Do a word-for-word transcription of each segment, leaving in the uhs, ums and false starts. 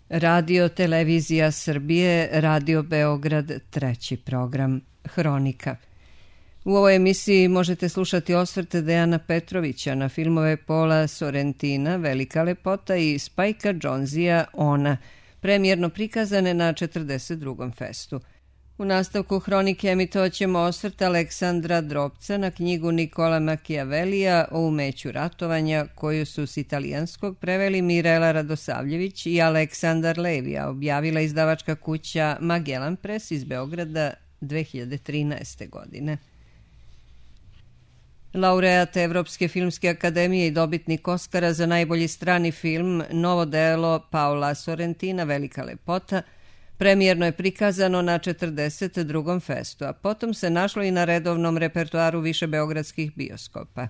Radio Televizija Srbije, Radio Beograd, treći program, Hronika. U ovoj emisiji možete slušati osvrte Dejana Petrovića na filmove Paula Sorrentina, Velika lepota i Spajka Jonzea, Ona, premijerno prikazane na četrdeset drugom festu. U nastavku Hronike emitovat ćemo osvrt Aleksandra Drobca na knjigu Nikola Machiavellija o umeću ratovanja, koju su s italijanskog preveli Mirela Radosavljević i Aleksandar Levija, objavila izdavačka kuća Magellan Press iz Beograda dve hiljade trinaeste. godine. Laureat Evropske filmske akademije i dobitnik Oskara za najbolji strani film, novo delo Paula Sorrentina, Velika lepota, premijerno je prikazano na četrdeset drugom festu, a potom se našlo i na redovnom repertoaru više beogradskih bioskopa.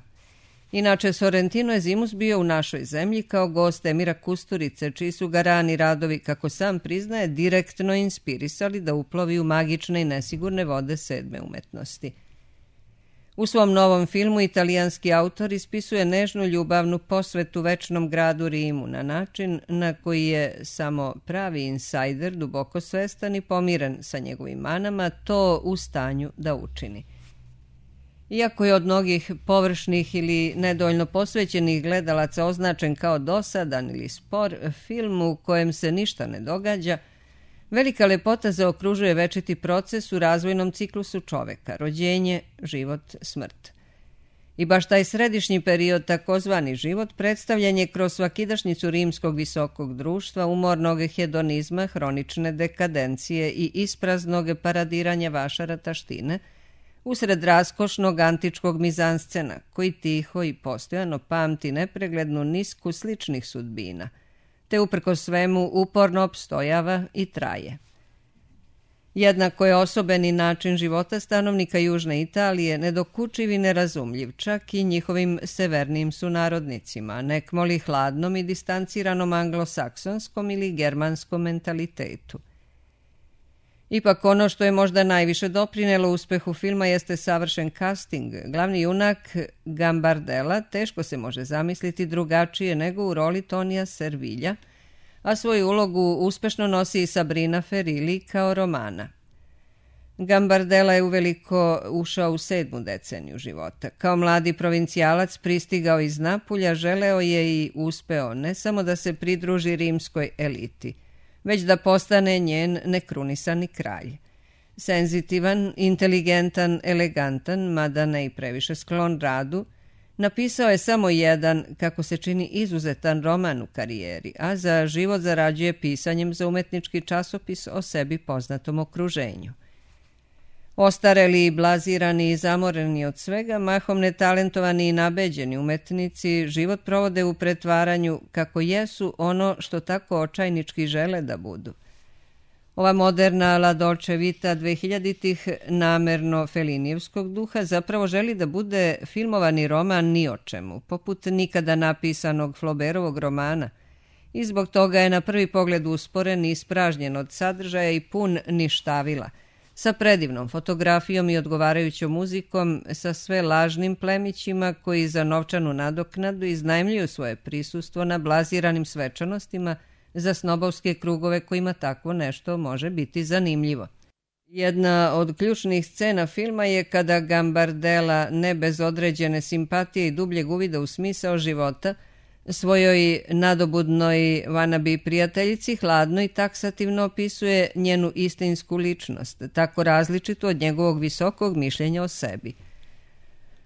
Inače, Sorrentino je zimus bio u našoj zemlji kao gost Emira Kusturice, čiji su ga rani radovi, kako sam priznaje, direktno inspirisali da uplovi u magične i nesigurne vode sedme umetnosti. U svom novom filmu italijanski autor ispisuje nežnu ljubavnu posvetu večnom gradu Rimu na način na koji je samo pravi insajder, duboko svestan i pomiren sa njegovim manama, to u stanju da učini. Iako je od mnogih površnih ili nedovoljno posvećenih gledalaca označen kao dosadan ili spor, film u kojem se ništa ne događa, Velika lepota zaokružuje večiti proces u razvojnom ciklusu čoveka, rođenje, život, smrt. I baš taj središnji period, takozvani život, predstavljen je kroz svakidašnjicu rimskog visokog društva, umornog hedonizma, hronične dekadencije i ispraznog paradiranja vašara taštine, usred raskošnog antičkog mizanscena, koji tiho i postojano pamti nepreglednu nisku sličnih sudbina, te uprkos svemu uporno opstojava i traje. Jednako je osobeni način života stanovnika Južne Italije nedokučiv i nerazumljiv čak i njihovim severnijim sunarodnicima, nekmoli hladnom i distanciranom anglosaksonskom ili germanskom mentalitetu. Ipak ono što je možda najviše doprinelo uspehu filma jeste savršen casting. Glavni junak Gambardella teško se može zamisliti drugačije nego u roli Tonija Servilja, a svoju ulogu uspešno nosi i Sabrina Ferilli kao Romana. Gambardella je uveliko ušao u sedmu deceniju života. Kao mladi provincijalac pristigao iz Napulja, želeo je i uspeo ne samo da se pridruži rimskoj eliti, već da postane njen nekrunisani kralj. Senzitivan, inteligentan, elegantan, mada ne i previše sklon radu, napisao je samo jedan, kako se čini, izuzetan roman u karijeri, a za život zarađuje pisanjem za umetnički časopis o sebi poznatom okruženju. Ostareli i blazirani i zamoreni od svega, mahom netalentovani i nabeđeni umetnici život provode u pretvaranju kako jesu ono što tako očajnički žele da budu. Ova moderna La Dolce Vita dvehiljaditih namerno Felinijevskog duha zapravo želi da bude filmovani roman ni o čemu, poput nikada napisanog Flaubertovog romana, i zbog toga je na prvi pogled usporen i ispražnjen od sadržaja i pun ništavila, sa predivnom fotografijom i odgovarajućom muzikom, sa sve lažnim plemićima koji za novčanu nadoknadu iznajmljuju svoje prisustvo na blaziranim svečanostima za snobovske krugove kojima takvo nešto može biti zanimljivo. Jedna od ključnih scena filma je kada Gambardella, ne bez određene simpatije i dubljeg uvida u smisao života, svojoj nadobudnoj wannabe prijateljici hladno i taksativno opisuje njenu istinsku ličnost, tako različitu od njegovog visokog mišljenja o sebi.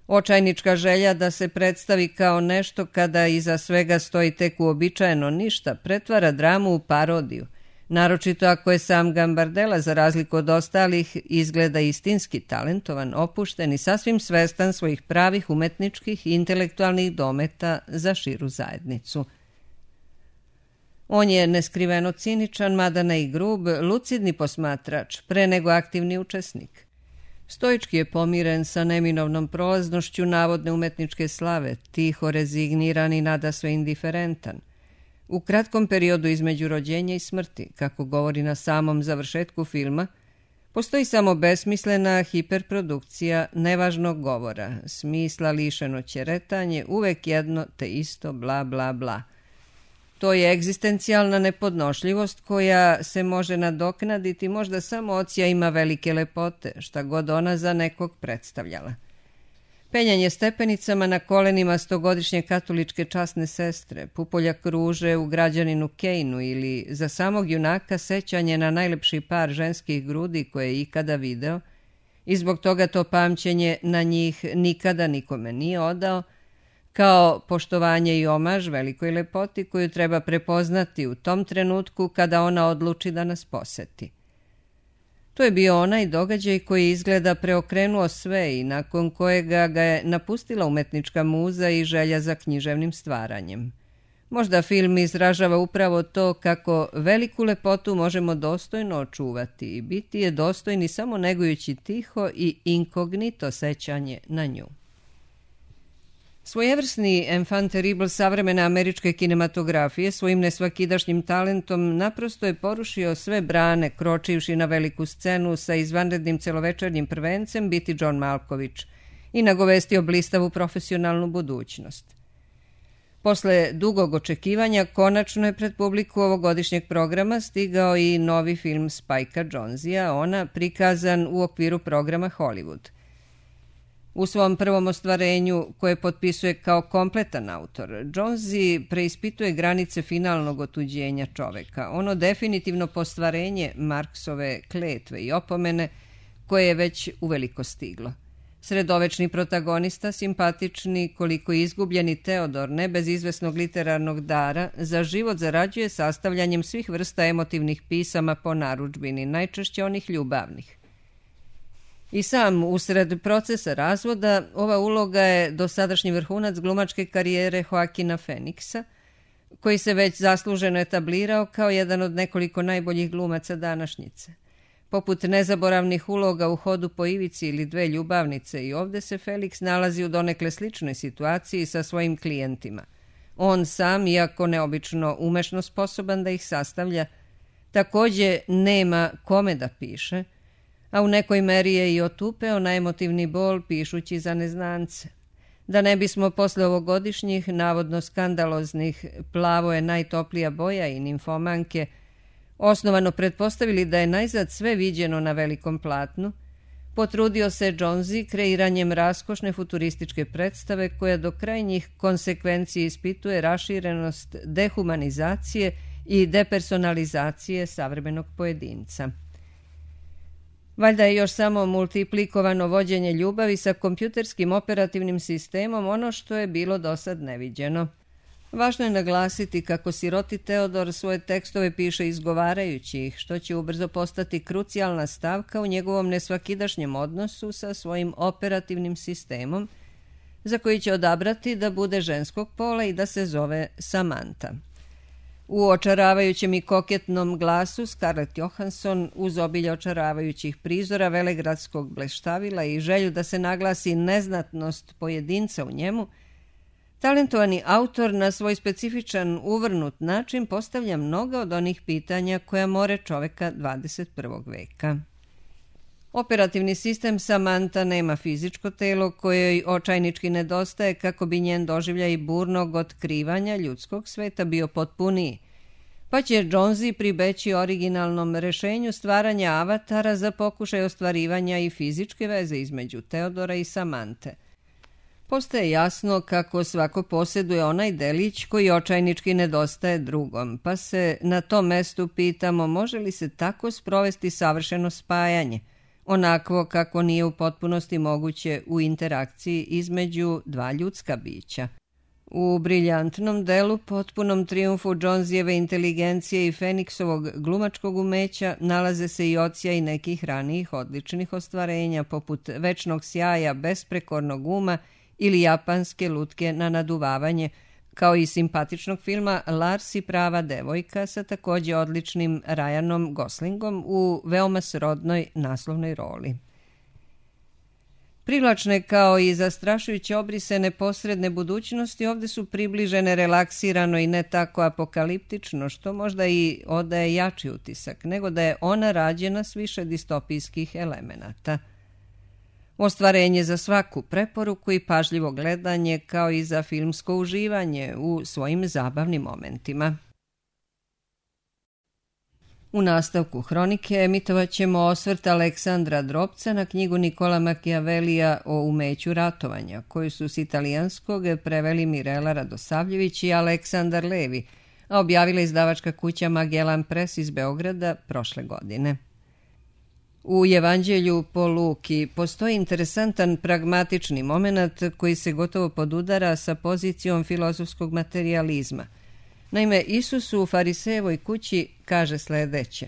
Očajnička želja da se predstavi kao nešto kada iza svega stoji tek uobičajeno ništa, pretvara dramu u parodiju, naročito ako je sam Gambardella, za razliku od ostalih, izgleda istinski talentovan, opušten i sasvim svestan svojih pravih umetničkih i intelektualnih dometa za širu zajednicu. On je neskriveno ciničan, mada ne i grub, lucidni posmatrač, pre nego aktivni učesnik. Stoički je pomiren sa neminovnom prolaznošću navodne umetničke slave, tiho rezigniran i nadasve indiferentan. U kratkom periodu između rođenja i smrti, kako govori na samom završetku filma, postoji samo besmislena hiperprodukcija nevažnog govora, smisla lišeno ćeretanje, uvek jedno te isto bla bla bla. To je egzistencijalna nepodnošljivost koja se može nadoknaditi možda samo odsjajima velike lepote, šta god ona za nekog predstavljala. Penjanje stepenicama na kolenima stogodišnje katoličke časne sestre, pupoljak ruže u građaninu Kejnu ili za samog junaka sećanje na najlepši par ženskih grudi koje je ikada video i zbog toga to pamćenje na njih nikada nikome nije odao, kao poštovanje i omaž velikoj lepoti koju treba prepoznati u tom trenutku kada ona odluči da nas poseti. To je bio onaj događaj koji izgleda preokrenuo sve i nakon kojega ga je napustila umetnička muza i želja za književnim stvaranjem. Možda film izražava upravo to kako veliku lepotu možemo dostojno očuvati i biti je dostojni samo negujući tiho i inkognito sećanje na nju. Svojevrsni enfant terrible savremene američke kinematografije svojim nesvakidašnjim talentom naprosto je porušio sve brane kročivši na veliku scenu sa izvanrednim celovečernjim prvencem biti John Malkovich i nagovestio blistavu profesionalnu budućnost. Posle dugog očekivanja konačno je pred publiku ovogodišnjeg programa stigao i novi film Spikea Jonzea, ona prikazan u okviru programa Hollywood. U svom prvom ostvarenju, koje potpisuje kao kompletan autor, Jonzi preispituje granice finalnog otuđenja čoveka, ono definitivno postvarenje Marksove kletve i opomene koje je već uveliko stiglo. Sredovečni protagonista, simpatični, koliko izgubljeni Teodor, ne bez izvesnog literarnog dara, za život zarađuje sastavljanjem svih vrsta emotivnih pisama po narudžbini, najčešće onih ljubavnih. I sam, usred procesa razvoda, ova uloga je dosadašnji vrhunac glumačke karijere Joaquina Phoenixa, koji se već zasluženo etablirao kao jedan od nekoliko najboljih glumaca današnjice. Poput nezaboravnih uloga u Hodu po ivici ili Dve ljubavnice, i ovde se Felix nalazi u donekle sličnoj situaciji sa svojim klijentima. On sam, iako neobično umešno sposoban da ih sastavlja, takođe nema kome da piše, a u nekoj meri je i otupeo na emotivni bol pišući za neznance. Da ne bismo posle ovogodišnjih, navodno skandaloznih Plavo je najtoplija boja i Nimfomanke osnovano pretpostavili da je najzad sve viđeno na velikom platnu, potrudio se Jonzi kreiranjem raskošne futurističke predstave koja do krajnjih konsekvenci ispituje raširenost dehumanizacije i depersonalizacije savremenog pojedinca. Valjda je još samo multiplikovano vođenje ljubavi sa kompjuterskim operativnim sistemom ono što je bilo dosad neviđeno. Važno je naglasiti kako siroti Teodor svoje tekstove piše izgovarajući ih, što će ubrzo postati krucijalna stavka u njegovom nesvakidašnjem odnosu sa svojim operativnim sistemom, za koji će odabrati da bude ženskog pola i da se zove Samantha. U očaravajućem i koketnom glasu Scarlett Johansson, uz obilje očaravajućih prizora velegradskog bleštavila i želju da se naglasi neznatnost pojedinca u njemu, talentovani autor na svoj specifičan uvrnut način postavlja mnoga od onih pitanja koja more čoveka dvadeset prvog veka. Operativni sistem Samantha nema fizičko telo koje joj očajnički nedostaje kako bi njen doživljaj burnog otkrivanja ljudskog sveta bio potpuniji, pa će Jonzi pribeći originalnom rešenju stvaranja avatara za pokušaj ostvarivanja i fizičke veze između Teodora i Samante. Postaje jasno kako svako posjeduje onaj delić koji očajnički nedostaje drugom, pa se na tom mestu pitamo može li se tako sprovesti savršeno spajanje, onakvo kako nije u potpunosti moguće u interakciji između dva ljudska bića. U briljantnom delu, potpunom trijumfu Jonzijeve inteligencije i Phoenixovog glumačkog umeća nalaze se i odsjaji nekih ranijih odličnih ostvarenja, poput Večnog sjaja, Besprekornog uma ili Japanske lutke na naduvavanje, kao i simpatičnog filma Lars i prava devojka sa takođe odličnim Ryanom Goslingom u veoma srodnoj naslovnoj roli. Privlačne kao i zastrašujuće obrise neposredne budućnosti ovde su približene relaksirano i ne tako apokaliptično, što možda i odaje jači utisak, nego da je ona rađena s više distopijskih elemenata. Ostvarenje za svaku preporuku i pažljivo gledanje kao i za filmsko uživanje u svojim zabavnim momentima. U nastavku hronike emitovat ćemo osvrt Aleksandra Drobca na knjigu Nikola Machiavellija o umeću ratovanja, koju su s italijanskog preveli Mirela Radosavljević i Aleksandar Levi, a objavila izdavačka kuća Magellan Press iz Beograda prošle godine. U Evanđelju po Luki postoji interesantan pragmatični moment koji se gotovo podudara sa pozicijom filozofskog materijalizma. Naime, Isus u Farisejevoj kući kaže sledeće: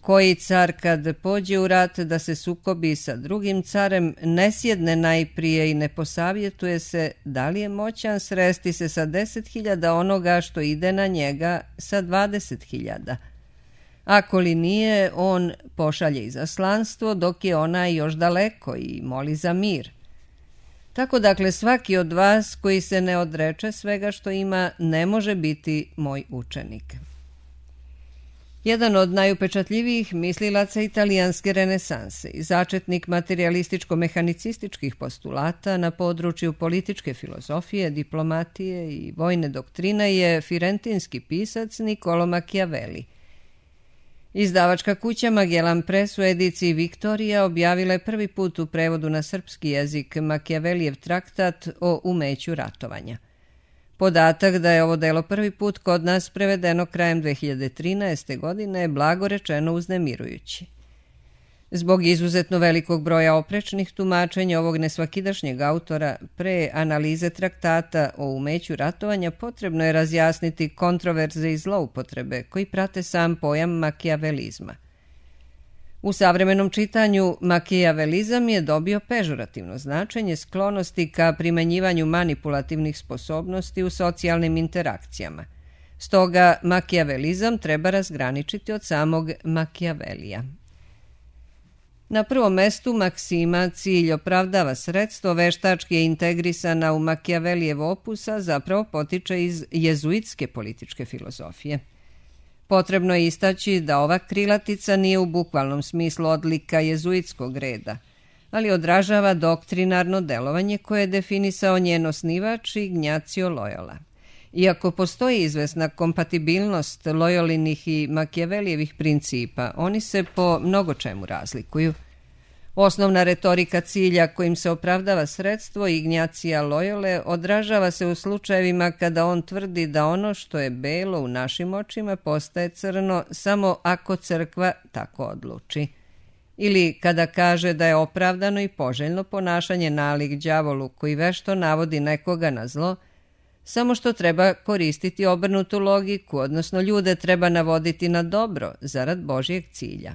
koji car kad pođe u rat da se sukobi sa drugim carem, ne sjedne najprije i ne posavjetuje se da li je moćan sresti se sa deset hiljada onoga što ide na njega sa dvadeset hiljada. Ako li nije, on pošalje izaslanstvo dok je onaj još daleko i moli za mir. Tako dakle, svaki od vas koji se ne odreče svega što ima ne može biti moj učenik. Jedan od najupečatljivijih mislilaca italijanske renesanse i začetnik materialističko-mehanicističkih postulata na području političke filozofije, diplomatije i vojne doktrine je firentinski pisac Niccolo Machiavelli. Izdavačka kuća Magellan Press u ediciji Viktorija objavila je prvi put u prevodu na srpski jezik Machiavellijev traktat o umeću ratovanja. Podatak da je ovo delo prvi put kod nas prevedeno krajem dve hiljade trinaeste. godine je blago rečeno uznemirujući. Zbog izuzetno velikog broja oprečnih tumačenja ovog nesvakidašnjeg autora, pre analize traktata o umeću ratovanja potrebno je razjasniti kontroverze i zloupotrebe koji prate sam pojam makijavelizma. U savremenom čitanju makijavelizam je dobio pežorativno značenje sklonosti ka primenjivanju manipulativnih sposobnosti u socijalnim interakcijama. Stoga makijavelizam treba razgraničiti od samog Machiavellija. Na prvom mestu maksima cilj opravdava sredstvo veštački je integrisana u Machiavellijev opus, a zapravo potiče iz jezuitske političke filozofije. Potrebno je istaći da ova krilatica nije u bukvalnom smislu odlika jezuitskog reda, ali odražava doktrinarno delovanje koje je definisao njen osnivač Ignacio Loyola. Iako postoji izvesna kompatibilnost Loyolinih i Machiavellijevih principa, oni se po mnogo čemu razlikuju. Osnovna retorika cilja kojim se opravdava sredstvo Ignacija Loyole odražava se u slučajevima kada on tvrdi da ono što je belo u našim očima postaje crno samo ako crkva tako odluči. Ili kada kaže da je opravdano i poželjno ponašanje nalik đavolu koji vešto navodi nekoga na zlo, samo što treba koristiti obrnutu logiku, odnosno ljude treba navoditi na dobro zarad Božjeg cilja.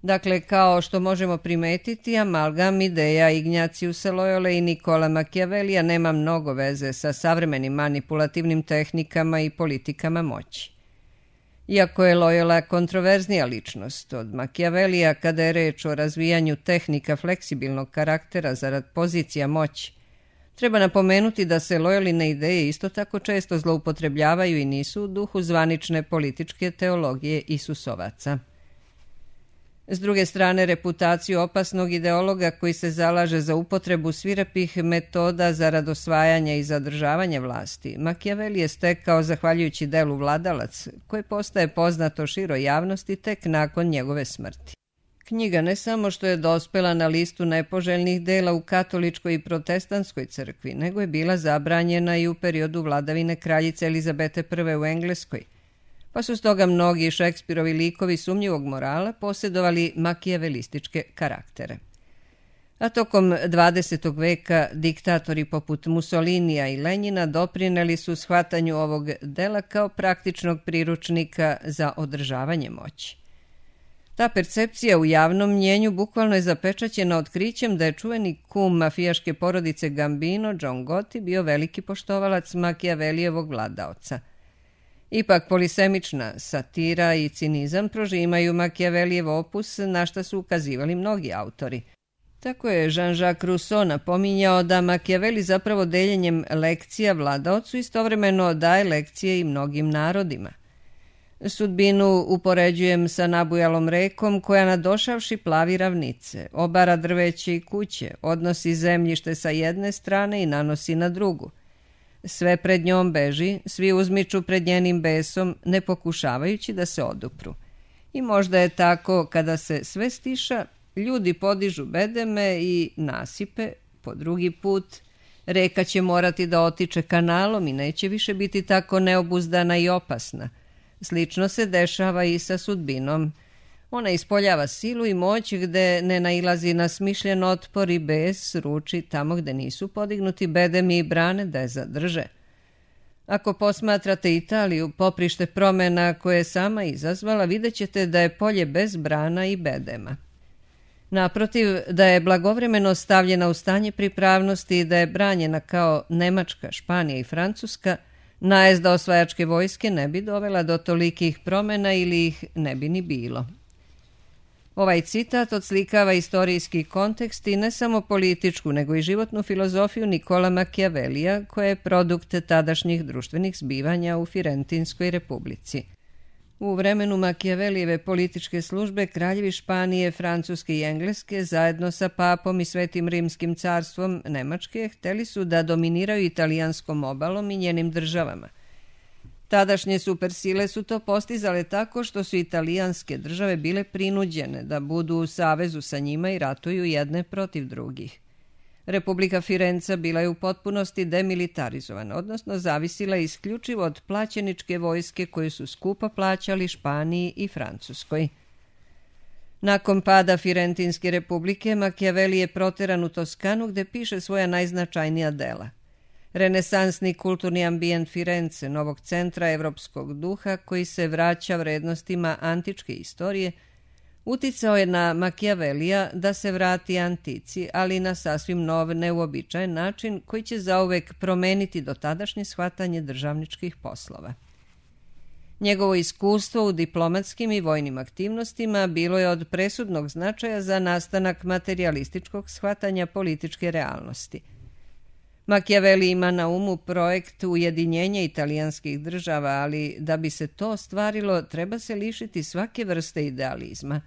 Dakle, kao što možemo primetiti, amalgam ideja Ignatiusa Loyole i Nikola Machiavellija nema mnogo veze sa savremenim manipulativnim tehnikama i politikama moći. Iako je Loyola kontroverznija ličnost od Machiavellija kada je reč o razvijanju tehnika fleksibilnog karaktera zarad pozicija moći, treba napomenuti da se Loyoline ideje isto tako često zloupotrebljavaju i nisu u duhu zvanične političke teologije Isusovaca. S druge strane, reputaciju opasnog ideologa koji se zalaže za upotrebu svirepih metoda zarad osvajanja i zadržavanja vlasti, Machiavelli je stekao zahvaljujući delu Vladalac, koje postaje poznato široj javnosti tek nakon njegove smrti. Knjiga ne samo što je dospela na listu nepoželjnih dela u katoličkoj i protestantskoj crkvi, nego je bila zabranjena i u periodu vladavine kraljice Elizabete Prve u Engleskoj, pa su stoga mnogi Šekspirovi likovi sumnjivog morala posjedovali makijavelističke karaktere. A tokom dvadesetog veka diktatori poput Mussolinija i Lenjina doprineli su shvatanju ovog dela kao praktičnog priručnika za održavanje moći. Ta percepcija u javnom mnjenju bukvalno je zapečaćena otkrićem da je čuveni kum mafijaške porodice Gambino, John Gotti, bio veliki poštovalac Machiavellijevog vladaoca. Ipak polisemična satira i cinizam prožimaju Machiavellijev opus, na šta su ukazivali mnogi autori. Tako je Jean-Jacques Rousseau napominjao da Machiavelli zapravo deljenjem lekcija vladaocu istovremeno daje lekcije i mnogim narodima. Sudbinu upoređujem sa nabujalom rekom koja nadošavši plavi ravnice, obara drveće i kuće, odnosi zemljište sa jedne strane i nanosi na drugu. Sve pred njom beži, svi uzmiču pred njenim besom, ne pokušavajući da se odupru. I možda je tako, kada se sve stiša, ljudi podižu bedeme i nasipe, po drugi put, reka će morati da otiče kanalom i neće više biti tako neobuzdana i opasna. Slično se dešava i sa sudbinom. Ona ispoljava silu i moć gde ne nailazi na smišljen otpor i bes, ruči tamo gde nisu podignuti bedemi i brane da je zadrže. Ako posmatrate Italiju, poprište promena koje je sama izazvala, vidjet ćete da je polje bez brana i bedema. Naprotiv, da je blagovremeno stavljena u stanje pripravnosti i da je branjena kao Nemačka, Španija i Francuska, najezda osvajačke vojske ne bi dovela do tolikih promena ili ih ne bi ni bilo. Ovaj citat odslikava istorijski kontekst i ne samo političku, nego i životnu filozofiju Nikola Machiavellija, koja je produkt tadašnjih društvenih zbivanja u Firentinskoj republici. U vremenu Machiavellijeve političke službe kraljevi Španije, Francuske i Engleske zajedno sa papom i Svetim Rimskim carstvom Nemačke hteli su da dominiraju italijanskom obalom i njenim državama. Tadašnje supersile su to postizale tako što su italijanske države bile prinuđene da budu u savezu sa njima i ratuju jedne protiv drugih. Republika Firenca bila je u potpunosti demilitarizovana, odnosno zavisila isključivo od plaćeničke vojske koju su skupo plaćali Španiji i Francuskoj. Nakon pada Firentinske republike, Machiavelli je proteran u Toskanu gde piše svoja najznačajnija dela. Renesansni kulturni ambijent Firence, novog centra evropskog duha koji se vraća vrednostima antičke istorije, uticao je na Machiavellija da se vrati antici, ali na sasvim nov, neuobičajen način koji će zauvek promeniti dotadašnje shvatanje državničkih poslova. Njegovo iskustvo u diplomatskim i vojnim aktivnostima bilo je od presudnog značaja za nastanak materijalističkog shvatanja političke realnosti. Machiavelli ima na umu projekt ujedinjenja italijanskih država, ali da bi se to ostvarilo treba se lišiti svake vrste idealizma.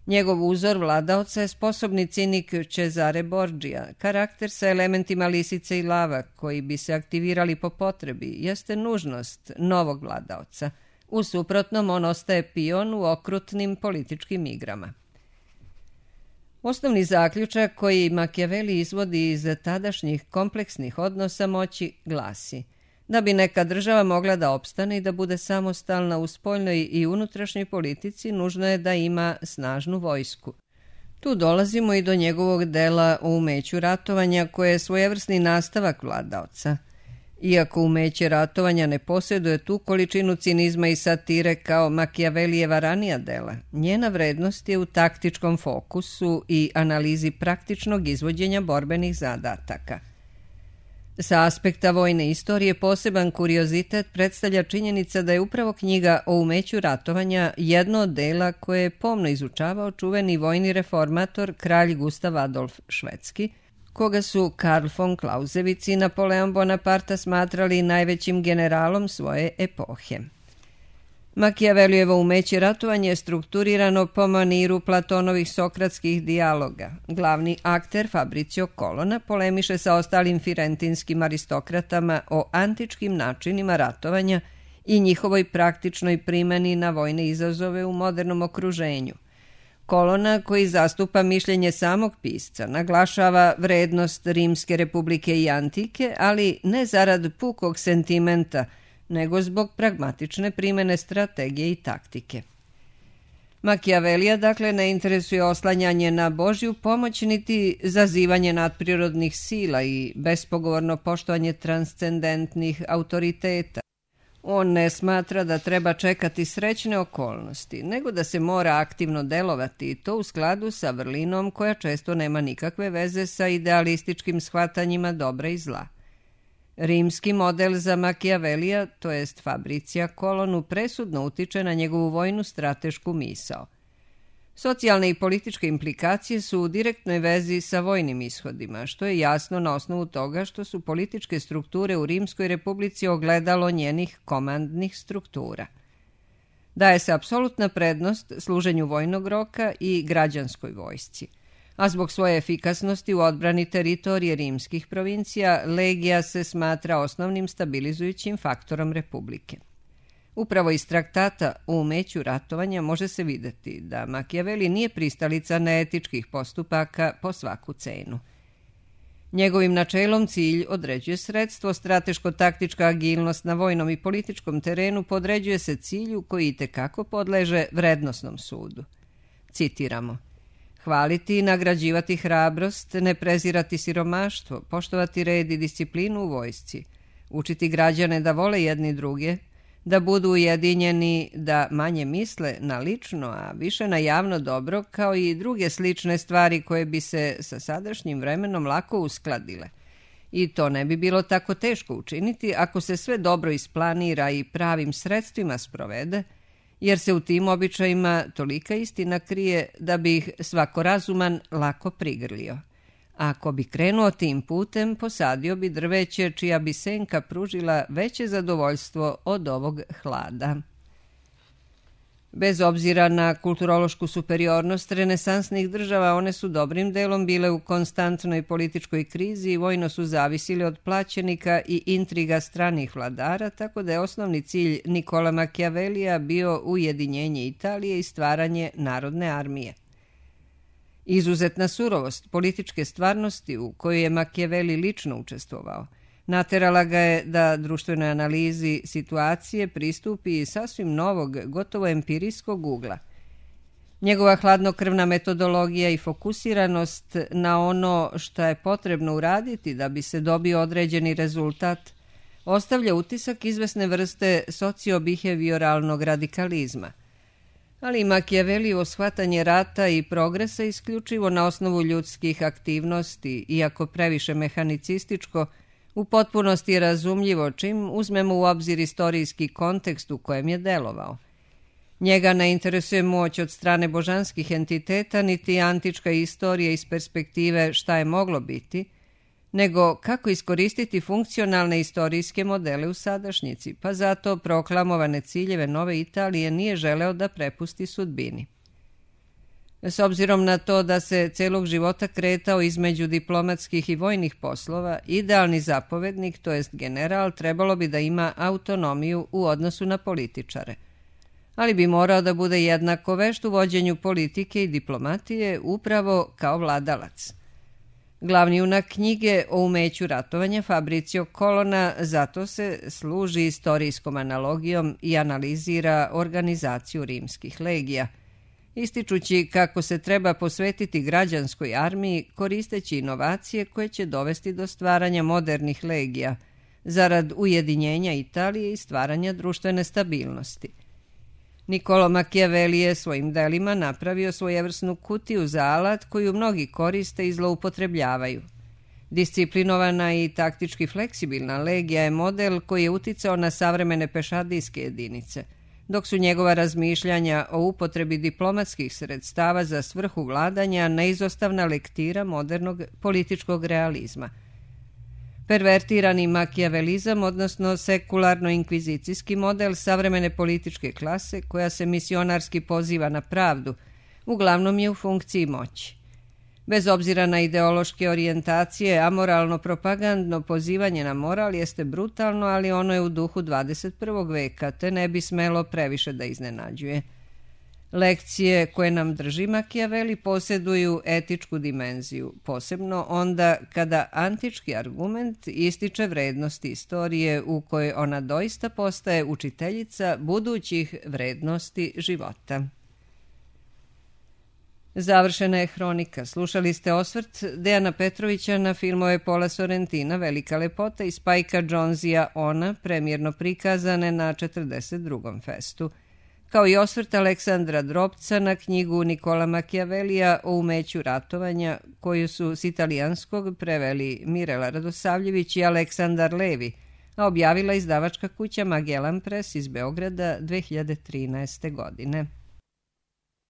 Njegov uzor vladaoca je sposobni cinik Cesare Borgia, karakter sa elementima lisice i lava koji bi se aktivirali po potrebi, jeste nužnost novog vladaoca. U suprotnom on ostaje pion u okrutnim političkim igrama. Osnovni zaključak koji Machiavelli izvodi iz tadašnjih kompleksnih odnosa moći glasi: da bi neka država mogla da opstane i da bude samostalna u spoljnoj i unutrašnjoj politici, nužno je da ima snažnu vojsku. Tu dolazimo i do njegovog dela o umeću ratovanja, koje je svojevrsni nastavak vladaoca. Iako umeće ratovanja ne posjeduje tu količinu cinizma i satire kao Machiavellijeva ranija dela, njena vrednost je u taktičkom fokusu i analizi praktičnog izvođenja borbenih zadataka. Sa aspekta vojne istorije poseban kuriozitet predstavlja činjenica da je upravo knjiga o umeću ratovanja jedno od dela koje je pomno izučavao čuveni vojni reformator kralj Gustav Adolf Švedski, koga su Karl von Clausewitz i Napoleon Bonaparte smatrali najvećim generalom svoje epohe. Machiavellijevo umeće ratovanja je strukturirano po maniru Platonovih sokratskih dijaloga. Glavni akter Fabrizio Colonna polemiše sa ostalim firentinskim aristokratama o antičkim načinima ratovanja i njihovoj praktičnoj primjeni na vojne izazove u modernom okruženju. Colonna, koji zastupa mišljenje samog pisca, naglašava vrednost Rimske republike i antike, ali ne zarad pukog sentimenta, nego zbog pragmatične primjene strategije i taktike. Machiavellija dakle ne interesuje oslanjanje na Božju pomoć niti zazivanje nadprirodnih sila i bespogovorno poštovanje transcendentnih autoriteta. On ne smatra da treba čekati srećne okolnosti, nego da se mora aktivno delovati i to u skladu sa vrlinom koja često nema nikakve veze sa idealističkim shvatanjima dobra i zla. Rimski model za Machiavellija, to jest Fabricija Colonnu, presudno utiče na njegovu vojnu stratešku misao. Socijalne i političke implikacije su u direktnoj vezi sa vojnim ishodima, što je jasno na osnovu toga što su političke strukture u Rimskoj republici ogledalo njenih komandnih struktura. Daje se apsolutna prednost služenju vojnog roka i građanskoj vojsci. a zbog svoje efikasnosti u odbrani teritorije rimskih provincija, legija se smatra osnovnim stabilizujućim faktorom republike. Upravo iz traktata o umeću ratovanja može se videti da Makijaveli nije pristalica neetičkih postupaka po svaku cenu. Njegovim načelom cilj određuje sredstvo, strateško-taktička agilnost na vojnom i političkom terenu podređuje se cilju koji itekako podleže vrednosnom sudu. Citiramo: hvaliti i nagrađivati hrabrost, ne prezirati siromaštvo, poštovati red i disciplinu u vojsci, učiti građane da vole jedni druge, da budu ujedinjeni, da manje misle na lično, a više na javno dobro, kao i druge slične stvari koje bi se sa sadašnjim vremenom lako uskladile. I to ne bi bilo tako teško učiniti ako se sve dobro isplanira i pravim sredstvima sprovede, jer se u tim običajima tolika istina krije da bi ih svako razuman lako prigrlio. A ako bi krenuo tim putem, posadio bi drveće čija bi senka pružila veće zadovoljstvo od ovog hlada. Bez obzira na kulturološku superiornost renesansnih država, one su dobrim delom bile u konstantnoj političkoj krizi i vojno su zavisili od plaćenika i intriga stranih vladara, tako da je osnovni cilj Nikola Makijavelija bio ujedinjenje Italije i stvaranje narodne armije. Izuzetna surovost političke stvarnosti u kojoj je Makijaveli lično učestvovao naterala ga je da društvenoj analizi situacije pristupi iz sasvim novog, gotovo empirijskog ugla. Njegova hladnokrvna metodologija i fokusiranost na ono što je potrebno uraditi da bi se dobio određeni rezultat ostavlja utisak izvesne vrste socio-behavioralnog radikalizma. Ali Makijavelijevo shvatanje rata i progresa isključivo na osnovu ljudskih aktivnosti, iako previše mehanicističko, u potpunosti je razumljivo čim uzmemo u obzir istorijski kontekst u kojem je delovao. Njega ne interesuje moć od strane božanskih entiteta, niti antička istorija iz perspektive šta je moglo biti, nego kako iskoristiti funkcionalne istorijske modele u sadašnjici, pa zato proklamovane ciljeve nove Italije nije želeo da prepusti sudbini. S obzirom na to da se celog života kretao između diplomatskih i vojnih poslova, idealni zapovednik, to jest general, trebalo bi da ima autonomiju u odnosu na političare, ali bi morao da bude jednako vešt u vođenju politike i diplomatije upravo kao vladalac. Glavni junak knjige o umeću ratovanja Fabrizio Colonna zato se služi istorijskom analogijom i analizira organizaciju rimskih legija, ističući kako se treba posvetiti građanskoj armiji koristeći inovacije koje će dovesti do stvaranja modernih legija, zarad ujedinjenja Italije i stvaranja društvene stabilnosti. Niccolo Machiavelli je svojim delima napravio svojevrsnu kutiju za alat koju mnogi koriste i zloupotrebljavaju. Disciplinovana i taktički fleksibilna legija je model koji je uticao na savremene pešadijske jedinice, dok su njegova razmišljanja o upotrebi diplomatskih sredstava za svrhu vladanja neizostavna lektira modernog političkog realizma. Pervertirani makijavelizam, odnosno sekularno-inkvizicijski model savremene političke klase koja se misionarski poziva na pravdu, uglavnom je u funkciji moći. Bez obzira na ideološke orijentacije, amoralno propagandno pozivanje na moral jeste brutalno, ali ono je u duhu dvadeset prvog veka, te ne bi smelo previše da iznenađuje. Lekcije koje nam drži Machiavelli posjeduju etičku dimenziju, posebno onda kada antički argument ističe vrednosti istorije u kojoj ona doista postaje učiteljica budućih vrednosti života. Završena je hronika. Slušali ste osvrt Dejana Petrovića na filmove Paula Sorrentina Velika lepota i Spajka Jonzea Ona, premijerno prikazane na četrdeset drugom festu, kao i osvrt Aleksandra Drobca na knjigu Nikola Machiavellija o umeću ratovanja, koju su s italijanskog preveli Mirela Radosavljević i Aleksandar Levi, a objavila izdavačka kuća Magellan Press iz Beograda dve hiljade trinaeste godine.